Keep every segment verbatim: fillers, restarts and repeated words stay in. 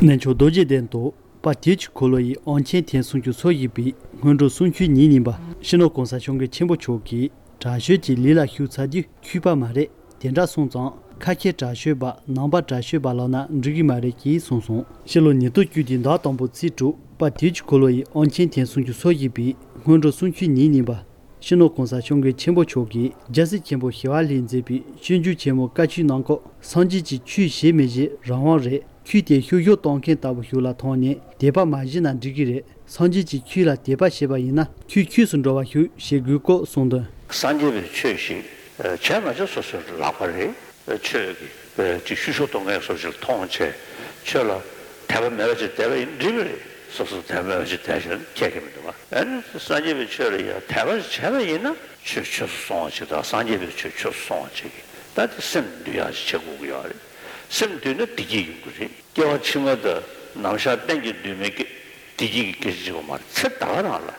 གནས་མཆོག་རྡོ་རྗེ་གདན་དུ་དཔལ་དུས་ཀྱི་འཁོར་ལོ་ཡི་དབང་ཆེན་ཐེངས་སུམ་ཅུ་སོ་བཞི་པའི་སྔོན་འགྲོ་གསུང་ཆོས་ཉིན་གཉིས་པ། སྤྱི་ནོར་༸གོང་ས་༸སྐྱབས་མགོན་ཆེན་པོ་མཆོག་གིས་དྲག་ཤོས་ཀྱི་ལས་ལ་ཞུགས་ཚར་དུས་འཁྱུད་པ་མ་རེད། དེ་འདྲ་སོང་ཙང་ཁ་ཁྱེར་དྲག་ཤོས་པ་ནང་པ་དྲག་ཤོས་པ་ལབ་ན་འགྲིག་གི་མ་རེད་ཅེས་གསུངས་སོང་། ཕྱི་ལོ་ཉིས་སྟོང་བཅུ་དེའི་ཟླ་དང་པོ་ཚེས་དྲུག་དཔལ་དུས་ཀྱི་འཁོར་ལོ་ཡི་དབང་ཆེན་ཐེངས་སུམ་ཅུ་སོ་བཞི་པའི་སྔོན་འགྲོ་གསུང་ཆོས་ཉིན་གཉིས་པ། སྤྱི་ནོར་༸གོང་ས་༸སྐྱབས་མགོན་ཆེན་པོ་མཆོག་གིས་རྒྱལ་སྲས་ཆེན་པོ་ཞི་བ་ལྷས་མཛད་པའི་སྤྱོད་འཇུག་ཆེན་མོ་བཀའ་ཆོས་ནང་ཁོག་སངས་རྒྱས་ཀྱི་ཆོས་ཞེ་མི་ཞེ་རང་དབང་རེད། ཆོས་དེ་བཤུ་གཞོག་གཏོང་མཁན་ལྟ་བུ་ཞིག་ལ་མཐོང་ནས་དད་པ་མ་བཞེས་ན་འགྲིག་གི་རེད། སངས་རྒྱས་ཀྱི་ཆོས་ལ་དད་པ་བྱས་པ་ཡིན་ན་ཆོས་ཆོས་སུ་འགྲོ་བ་ཞིག་བྱེད་དགོས་སྐོར་གསུངས་དོན། སངས་རྒྱས་པའི་ཆོས་ཤིག་བྱས་མ་བྱས་སོ་སོའི་ལག་པ་རེད། ཆོས་ཀྱི་ཅིག་བཤུ་གཞོག་གཏོང་མཁན་སོ་སོར་མཐོང་བྱས་ཆོས་ལ་དད་པ་མེད་པ་ཅིག་བསྡད་པ་ཡིན་འགྲིག་གི་རེད། སོ་སོར་དད་པ་མེད་པ་ཅིག་བསྡད་བཞག་ན་ཁྱད་ཀྱང་མི་འདུག་བ། ཨ་ནི་སངས་རྒྱས་པའི་ཆོས་ལ་ཡང་དད་པ་བྱས་པ་ཡིན་ན་ཆོས་ཆོས་སུ་སོང་བ་ཅིག་དང་སངས་རྒྱས་པའི་ཆོས་ཆོས་སུ་སོང་བ་ཅིག་གིས་ད་དེ་སེམས་འདུལ་ཡག་ཅིག་བྱེད་དགོས་ཀྱི་ཡོད་རེད། སེམས་འདུལ་ན་བདེ་སྐྱིད་ཡོང་གི་རེད། སྐྱེ་བ་ཕྱི་མ་དང་ནམ་ཞག་གཏན་གྱི་འདུལ་མི་སྐྱེ་བདེ་སྐྱིད་ཀྱི་སྐད་ཆ་བྱེད་པ་མ་རེད། ཚེ་ད་ག་རང་ལ་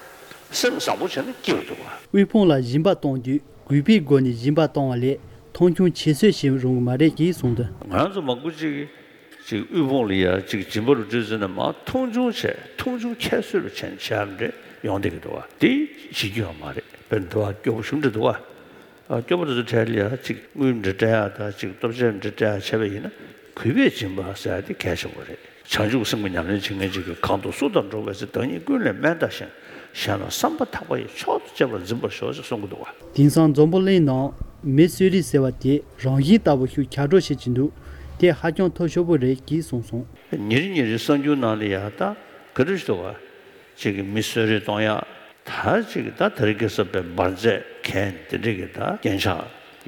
སེམས་བཟང་པོ་བྱས་ན་སྐྱིད་པ་འདུག་བ། དབུལ་ཕོངས་ལ་སྦྱིན་པ་གཏོང་དུས་གུས་པའི་སྒོ་ནས་སྦྱིན་པ་གཏོང་བ་ལས་མཐོང་ཆུང་ཁྱད་གསོད་བྱེད་རུང་གི་མ་རེད་ཅེས་གསུངས་དོན། ང་ཚོ་མང་པོ་ཅིག་གིས་ཅིག་དབུལ་ཕོངས་ལ་ཡ་ཅིག་སྦྱིན་པ་རུ་སྤྲོད་ཟེར་ན་མ་མཐོང་ཆུང་བྱས་མཐོང་ཆུང་ཁྱད་གསོད་རུ་བྱས་བྱས་མ་རེད་ཡོང་བསྡད་ཀྱི་འདུག་བ། དེ་བྱེད་རྒྱུ་ཡོད་མ་རེད། དཔེར་ན་འདི་བ་སྐྱོ་པོ་ཞུམ་འདྲ་འདུག་བ། ཨ་སྐྱོ་པོ་དེ་ཚོ་གྲས་ལ་ཡ་ཅིག་དངུལ་འདྲ་སྤྲད་ཡ་ད་ཅིག་ལྟོ་ཆས་འདྲ་སྤྲད་ཡ་བྱས་པ་ཡིན་ན་གུས་པས་སྦྱིན་པ་ཟེར་ཡ་དེ་གལ་ཆེན་པོ་རེད། བྱང་ཆུབ་སེམས་ཀྱི་ཉམས་ལེན་བྱེད་མཁན་ཅིག་གིས་གང་དུ་སུ་དང་འགྲོགས་པའི་ཚེ་བདག་ཉིད་ཀུན་ལས་དམན་བལྟ་ཞིང་། གཞན་ལ་བསམ་པ་ཐག་པ་ཡིས་མཆོག་ཏུ་གཅེས་པར་འཛིན་པར་ཤོག་ཅེས་གསུང་གི་འདུག་བ། དེང་སང་འཛམ་བུ་གླིང་ནང་མི་གསོད་རེས་ཟེར་བ་དེ་རང་བཞིན་ལྟ་བུ་ཞིག་ཁྱབ་བསྒྲགས་བྱེད་ཀྱི་འདུག་དེ་ཧ་ཅང་ཐབས་སྐྱོ་པོ་རེད་ཅེས་གསུངས་སོང་། ཉིན་རེ་ཉིན་རེ་གསར་འགྱུར་ནང་ལ་ཡ་ད་ག་འདྲ་ཞིག་འདུག་བ། ཅིག་གིས་མི་གསོད་རེས་གཏོང་ཡག་ད་ཅིག་ད་དེ་རིང་ཁ་སང་དཔེ་འབར་རྫས་གན་དེ་འདྲས་ཀྱི་ད་རྐྱེན་ཆག་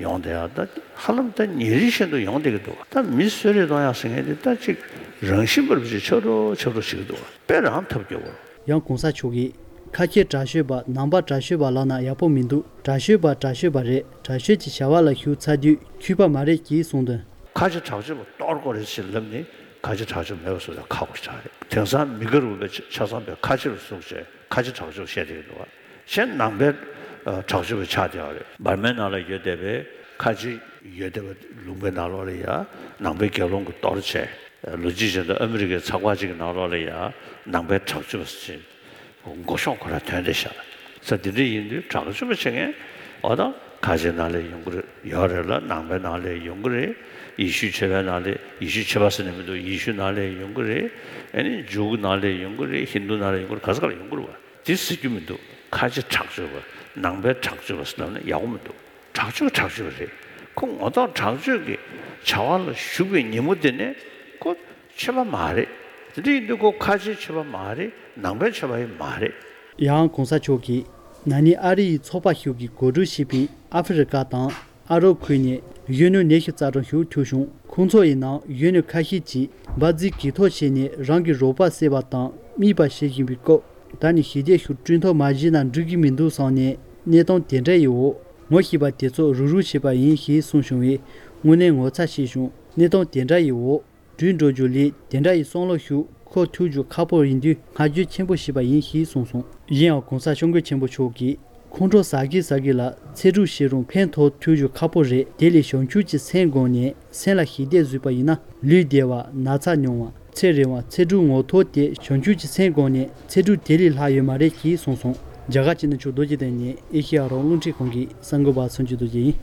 ཡོང་བསྡད་ཡག་ད་ཧ་ལམ་ད་ཉིན་རེ་བཞིན་དུ་ཡོང་བསྡད་ཀྱི་འདུག་ད་མི་གསོད་རེས་གཏོང་ཡག་ཟེར་མཁན་དེ་ད་ཅིག་རང་བཞིན་པར་ཅིག་ཆགས་འགྲོ་ཆགས་འགྲོ་བྱེད་ཀྱི་འདུག་དཔེ་རང་ཐབས་སྐྱོ་པོ། ཡང་གོང་ས་མཆོག་གིས་ཁ་ཁྱེར་དྲག་ཤོས་པ་ནང་པ་དྲག་ཤོས་པ་ལབ་ན་ཡག་པོ་མི་འདུག་དྲག་ཤོས་པ་དྲག་ཤོས་པ་རེད། དྲག་ཤོས་ཀྱི་བྱ་བ་ལ་ཞུགས་ཚར་དུས་འཁྱུད་པ་མ་རེད་ཅེས་གསུངས་དོན། ཁ་ཆེ་དྲག་སྤྱོད་པ་གཏོར་དགོས་རེད་ཅེས་ལབ་ནས་ཁ་ཆེ་དྲག་སྤྱོད་མེད་པ་བཟོ་ཡ་ཁག་པོ་ཆགས་རེད། དེང་སང་མི་དགའ་རུ་བའི་ཆ་ཆ་ཚང་པའི་ཁ་ཆེ་རུ་བཟུང་བྱས་ཁ་ཆེ་དྲག་སྤྱོད་བཤད་བསྡད་ཀྱི་འདུག་བ། གཞན་ནང་པའི་ཨ་དྲག་སྤྱོད་པ་ཆགས་བསྡད་ཡོད་རེད། འབར་མའི་ནང་ལ་ཡོད་བསྡད་པའི་ཁ་ཆེ་ཡོད་བསྡད་པ་ལུང་པའི་ནང་ལོགས་ལ་ཡ་ནང་པའི་དགེ་སློང་གིས་གཏོར་བྱས་ལོ་རྒྱུས་བྱས་ན་ཨ་མི་རི་ཀའི་ཚགས་པར་ཅིག་གི་ནང་ལོགས་ལ་ཡ་ནང་པའི་དྲག་སྤྱོད་པ་ཟེར། མགོ་གཤོག་ཁོ་རང་ཐོན་བསྡད་ཤག་ས་འདི་འདྲ་ཡིན་དུས་དྲག་སྤྱོད་པ་བྱེད་མཁན་འོ་ད་ཁ་ཆེ་ནང་ལ་ཡོང་གི་རེད་ཡོད་རེད་ལ། ནང་པའི་ནང་ལ་ཡོང་གི་རེད། ཡེ་ཤུ་ཆོས་པའི་ནང་ལ་ཡེ་ཤུ་ཆོས་པ་ཟེར་ནས་མི་འདུག་ཡེ་ཤུ་ནང་ལ་ཡོང་གི་རེད། ཨ་ནི་ཇུའུ་ནང་ལ་ཡོང་གི་རེད། ཧིན་དུ་ནང་ལ་ཡོང་གི་རེད། ག་ས་ག་ལ་ཡོང་གི་རེད་བ། དེ་ཟེར་རྒྱུ་མི་འདུག་ཁ་ཆེ་དྲག་སྤྱོད་པ་ནང་པའི་དྲག་སྤྱོད་པ་ཟེར་ལབ་ན་ཡག་པོ་མི་འདུག་དྲག་སྤྱོད་དྲག་སྤྱོད་རེད། ཁོ་ངོ་ཐོག་དྲག་སྤྱོད་ཀྱི་བྱ་བ་ལ་ཞུགས་པའི་ཉིན་མོ་དེ་ནས་ཁོ་ཆོས་པ་མ་རེད། དེ་འདྲ་ཡིན་དུས་ཁོ་ཁ་ཆེའི་ཆོས་པ་མ་རེད། ནང་པའི་ཆོས་པ་ཡང་མ་རེད། ཡང་གོང་ས་མཆོག་གིས་ན་ནིང་ཨ་རི་ཡི་ཚོགས་པ་ཞིག་གིས་གོ་སྒྲིག་བྱས་པའི་ཨ་ཧྥེ་རི་ཀ་དང་ཨ་རོབ་ཁུལ་ནས་གཞོན་ནུ་ཉི་ཤུ་རྩ་གྲངས་ཤིག་ཐུག་བྱུང་། ཁོང་ཚོ་ཡི་ནང་གཞོན་ནུ་ཁ་ཤས་ཀྱིས་འབར་རྫས་གྱོད་ཐོ་བྱས་ནས་རང་གི་རོགས་པ་བསད་པ་དང་རྨས་པ་བྱེད་བཞིན་པའི་སྐབས། ད་ནི་ཞི་བདེ་ཞིག་བསྐྲུན་ཐབས་མ་བྱས་ན་འགྲིག་གི་མི་འདུག་བསམ་ནས་གནས་སྟངས་དེ་འདྲ་ཡི་འོག་ངོ་ཤེས་པ་དེ་ཚོ་རུག་རུག་བྱས་པ་ཡིན་ཞེས་གསུངས་བྱུང་བས་དངོས་གནས་ངོ་ཚ་ཤས་བྱུང་། གནས་སྟངས་དེ་འདྲ་ཡི་འོག་བྲོས་འགྲོ་རྒྱུ་ལས་དེ་འདྲ་ཡི་བསམ་བློ་ཞིག་འཁོར་ཐུབ་རྒྱུ་ཁག་པོ་ཡིན་དུས་བསྔགས་བརྗོད་ཆེན་པོ་ཞུས་པ་ཡིན་ཞེས་གསུངས་སོང་། གཞན་ཡང་གོང་ས་སྐྱབས་མགོན་ཆེན་པོ་མཆོག་གིས་ཁོང་ཁྲོ་ཟ་གི་ཟ་གི་ལ་ཚེ་སྒྲུབ་བྱེད་རུང་ཕན་ཐོགས་ཐུབ་རྒྱུ་ཁག་པོ་རེད། དེ་ལས་བྱང་ཆུབ་ཀྱི་སེམས་བསྒོམས་ནས་སེམས་ལ་ཞི་བདེ་བཟོས་པ་ཡིན་ན་ལུས་བདེ་བ་ན་ཚ་ཉུང་བ་ཚེ་རིང་བ་ཚེ་སྒྲུབ་ངོ་ཐོག་དེ་བྱང་ཆུབ་ཀྱི་སེམས་བསྒོམས་ནས་ཚེ་སྒྲུབ་དེ་ལས་ལྷག་ཡོད་མ་རེད་ཅེས་གསུངས་སོང་། རྒྱ་གར་སྤྱི་ནོར་མཆོག་རྡོ་རྗེ་གདན་ནས་ཨེ་ཤེ་ཡ་རང་དབང་རླུང་འཕྲིན་ཁང་གི་གསར་འགོད་པ་མཚོན་བྱེད་རྡོ་རྗེ་ཡིན།